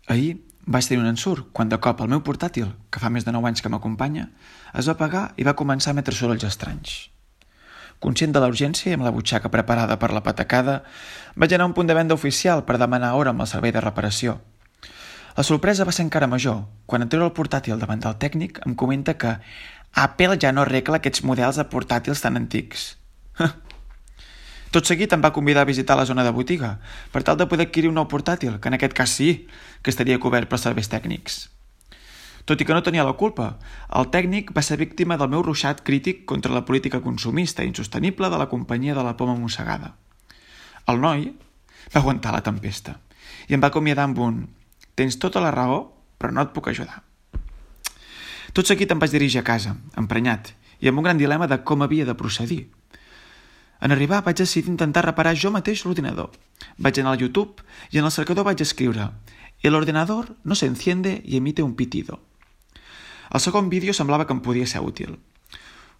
Ahir vaig tenir un ensurt quan de cop el meu portàtil, que fa més de 9 anys que m'acompanya, es va apagar i va començar a emetre sorolls estranys. Conscient de la urgència i amb la butxaca preparada per la patacada, vaig anar a un punt de venda oficial per demanar hora amb el servei de reparació. La sorpresa va ser encara major quan en treure el portàtil davant del tècnic em comenta que Apple ja no arregla aquests models de portàtils tan antics. Tot seguit em va convidar a visitar la zona de botiga per tal de poder adquirir un nou portàtil, que en aquest cas sí, que estaria cobert per serveis tècnics. Tot i que no tenia la culpa, el tècnic va ser víctima del meu ruixat crític contra la política consumista i insostenible de la companyia de la poma mossegada. El noi va aguantar la tempesta i em va acomiadar amb un «Tens tota la raó, però no et puc ajudar». Tot seguit em vaig dirigir a casa, emprenyat, i amb un gran dilema de com havia de procedir. En arribar vaig decidir intentar reparar jo mateix l'ordinador. Vaig anar al YouTube i en el cercador vaig escriure «El ordenador no se enciende y emite un pitido». El segon vídeo semblava que em podia ser útil.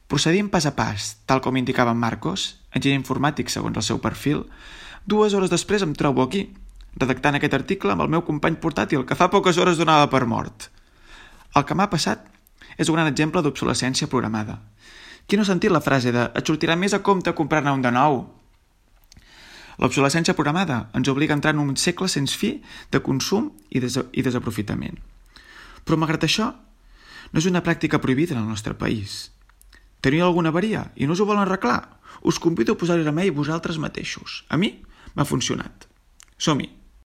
Procedint pas a pas, tal com indicava en Marcos, enginyer informàtic segons el seu perfil, 2 hores després em trobo aquí, redactant aquest article amb el meu company portàtil que fa poques hores donava per mort. El que m'ha passat és un gran exemple d'obsolescència programada. Qui no ha sentit la frase de «et sortirà més a compte comprar-ne un de nou»? L'obsolescència programada ens obliga a entrar en un segle sense fi de consum i desaprofitament. Però malgrat això, no és una pràctica prohibida en el nostre país. Teniu alguna avaria i no us ho volen arreglar? Us convido a posar-hi remei vosaltres mateixos. A mi m'ha funcionat. Som-hi!